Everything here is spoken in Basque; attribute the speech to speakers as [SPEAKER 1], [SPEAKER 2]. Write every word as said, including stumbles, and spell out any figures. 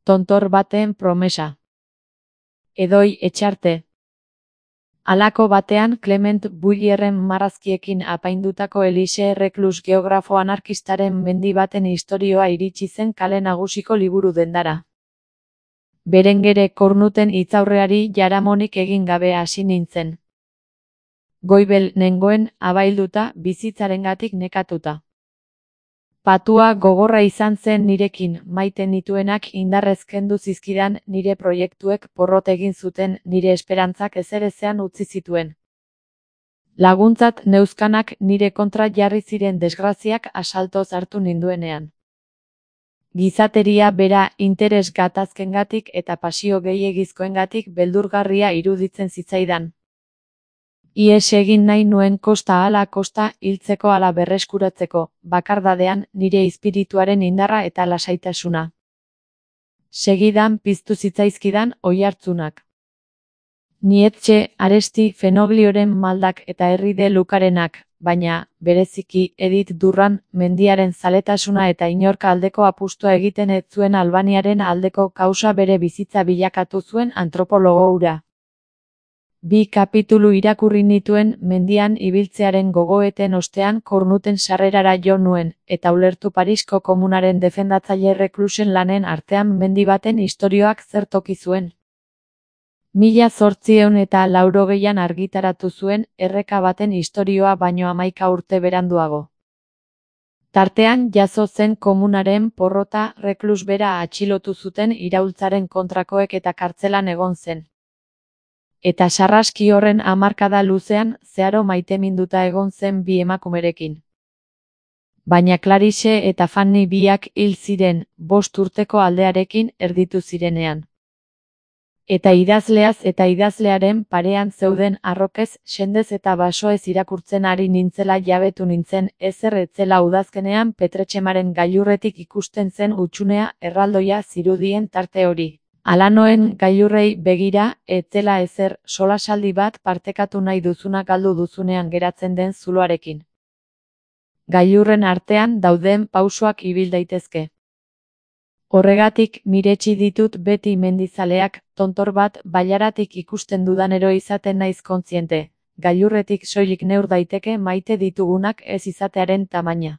[SPEAKER 1] tontor baten promesa. Edoi Etxarte. Halako batean Clement Bullierren marrazkiekin apaindutako Elise Reclus geografo anarkistaren mendi baten istorioa iritsi zen kale nagusiko liburu dendara. Berengere Kornuten hitzaurreari jaramonik egin gabe hasi nintzen. Goibel nengoen abailduta bizitzarengatik nekatuta. Patua gogorra izan zen nirekin, maite nituenak indarrez kendu zizkidan nire proiektuek porrot egin zuten nire esperantzak ezerezean utzi zituen. Laguntzat neuzkanak nire kontra jarri ziren desgraziak asaltoz hartu ninduenean. Gizateria bera interes gatazkengatik eta pasio gehiegizkoengatik beldurgarria iruditzen zitzaidan. Ihes egin nahi nuen kosta ala kosta hiltzeko ala berreskuratzeko, bakardadean nire espirituaren indarra eta lasaitasuna. Segidan piztu zitzaizkidan oihartzunak. Nietzsche, Aresti, Fenoglioren maldak eta Herri de Lucarenak, baina, bereziki, Edith Durran, mendiaren zaletasuna eta inorka aldeko apustua egiten ez zuen Albaniaren aldeko kausa bere bizitza bilakatu zuen antropologo hura. Bi kapitulu irakurri nituen mendian ibiltzearen gogoeten ostean Kornuten sarrerara jo nuen, eta ulertu Parisko komunaren defendatzaile Reclusen lanen artean mendi baten istorioak zer toki zuen. Mila zortziehun eta laurogeian argitaratu zuen erreka baten istorioa baino hamaika urte beranduago. Tartean jazo zen komunaren porrota Reclus bera atxilotu zuten iraultzaren kontrakoek eta kartzelan egon zen. Eta sarraski horren hamarkada luzean zeharo maiteminduta egon zen bi emakumerekin. Baina Clarice eta Fanny biak hil ziren, bost urteko aldearekin erditu zirenean. Eta idazleaz eta idazlearen parean zeuden arrokez, sendez eta basoez irakurtzen ari nintzela jabetu nintzen, ezer etzela udazkenean Petretxemaren gailurretik ikusten zen hutsunea erraldoia zirudien tarte hori. Alanoen gailurrei begira, etzela ezer, solasaldi bat partekatu nahi duzuna galdu duzunean geratzen den zuloarekin. Gailurren artean dauden pausoak ibil daitezke. Horregatik miretsi ditut beti mendizaleak, tontor bat bailaratik ikusten dudanero izaten naiz kontziente, gailurretik soilik neur daiteke maite ditugunak ez izatearen tamaina.